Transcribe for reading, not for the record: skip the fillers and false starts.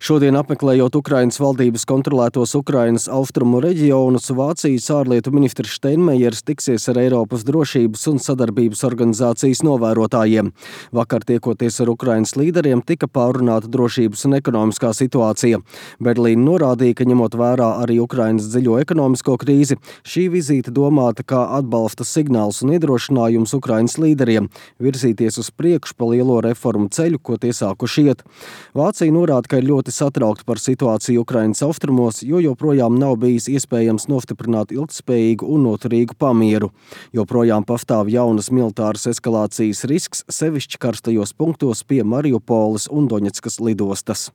Šodien apmeklējot Ukrainas valdības kontrolētos Ukrainas austrumu reģionus, Vācijas ārlietu ministrs Steinmeiers tiksies ar Eiropas drošības un sadarbības organizācijas novērotājiem. Vakar tiekoties ar Ukrainas līderiem tika pārunāta drošības un ekonomiskā situācija. Berlīna norādīja, ka ņemot vērā arī Ukrainas dziļo ekonomisko krīzi, šī vizīte domāta kā atbalsta signāls un iedrošinājums Ukrainas līderiem virzīties uz priekšu pa lielo reformu ceļu, ko tie sākuši iet. Vācija norāda, ka ir ļoti satraukti par situāciju Ukrainas austrumos, jo joprojām nav bijis iespējams nostiprināt ilgtspējīgu un noturīgu pamieru. Joprojām pastāv jaunas militāras eskalācijas risks, sevišķi karstajos punktos pie Mariupoles un Doņetskas lidostas.